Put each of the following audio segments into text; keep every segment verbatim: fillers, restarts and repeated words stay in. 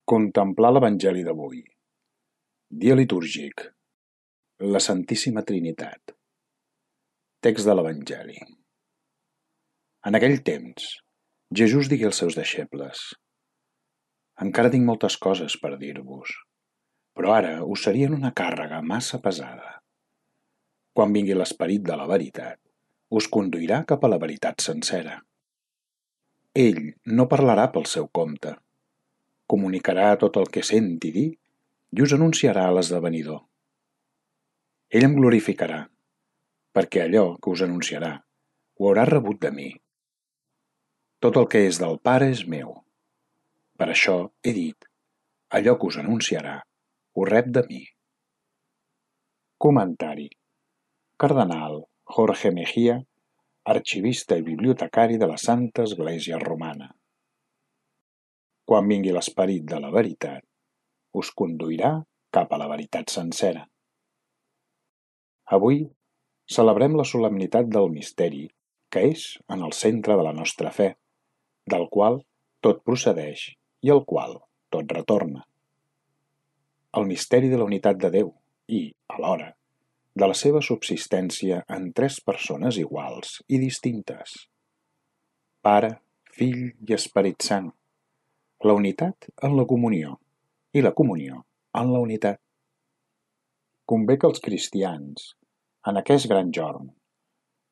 Contemplar l'Evangeli d'avui. Dia litúrgic. La Santíssima Trinitat. Text de l'Evangeli. En aquell temps, Jesús digué als seus deixebles: «Encara tinc moltes coses per dir-vos, però ara us serien una càrrega massa pesada. Quan vingui l'Esperit de la veritat, us conduirà cap a la veritat sencera. Ell no parlarà pel seu compte. Comunicarà tot el que senti dir i us anunciarà l'esdevenidor. Ell em glorificarà, perquè allò que us anunciarà ho haurà rebut de mi. Tot el que és del Pare és meu. Per això he dit, allò que us anunciarà ho rep de mi». Comentari. Cardenal Jorge Mejía, arxivista i bibliotecari de la Santa Església Romana. Quan vingui l'Esperit de la veritat, us conduirà cap a la veritat sencera. Avui celebrem la solemnitat del misteri que és en el centre de la nostra fe, del qual tot procedeix i al qual tot retorna. El misteri de la unitat de Déu i, alhora, de la seva subsistència en tres persones iguals i distintes: Pare, Fill i Esperit Sant. La unitat en la comunió i la comunió en la unitat. Convé que els cristians, en aquest gran jorn,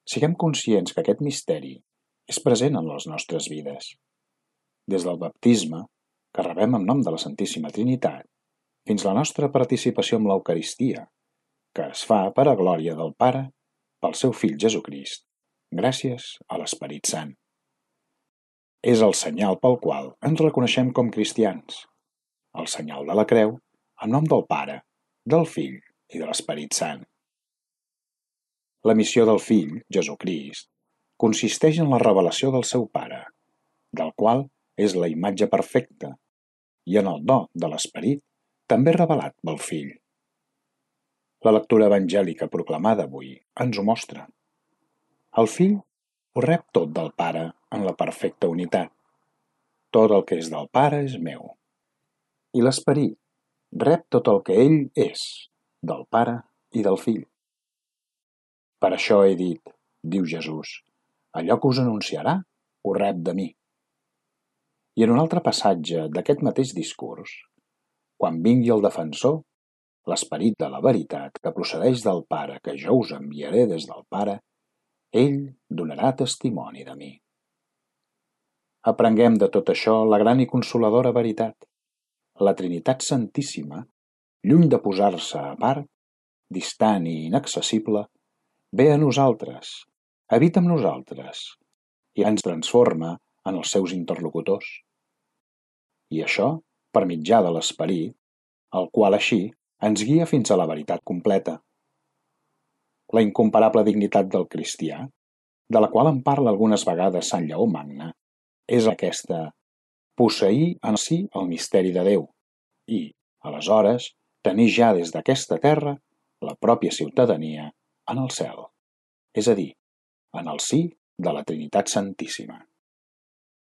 siguem conscients que aquest misteri és present en les nostres vides. Des del baptisme, que rebem en nom de la Santíssima Trinitat, fins la nostra participació amb l'Eucaristia, que es fa per a glòria del Pare, pel seu Fill Jesucrist, gràcies a l'Esperit Sant. És el senyal pel qual ens reconeixem com cristians, el senyal de la creu, en nom del Pare, del Fill i de l'Esperit Sant. La missió del Fill, Jesucrist, consisteix en la revelació del seu Pare, del qual és la imatge perfecta, i en el do de l'Esperit, també revelat pel Fill. La lectura evangèlica proclamada avui ens ho mostra. El Fill ho rep tot del Pare en la perfecta unitat. Tot el que és del Pare és meu. I l'Esperit rep tot el que ell és, del Pare i del Fill. Per això he dit, diu Jesús, allò que us anunciarà ho rep de mi. I en un altre passatge d'aquest mateix discurs, quan vingui el defensor, l'Esperit de la veritat que procedeix del Pare que jo us enviaré des del Pare, ell donarà testimoni de mi. Aprenguem de tot això la gran i consoladora veritat. La Trinitat Santíssima, lluny de posar-se a part, distant i inaccessible, ve a nosaltres, habita amb nosaltres i ens transforma en els seus interlocutors. I això per mitjà de l'Esperit, el qual així ens guia fins a la veritat completa. La incomparable dignitat del cristià, de la qual en parla algunes vegades Sant Lleó Magne, és aquesta: posseir en si el misteri de Déu i, aleshores, tenir ja des d'aquesta terra la pròpia ciutadania en el cel, és a dir, en el si de la Trinitat Santíssima.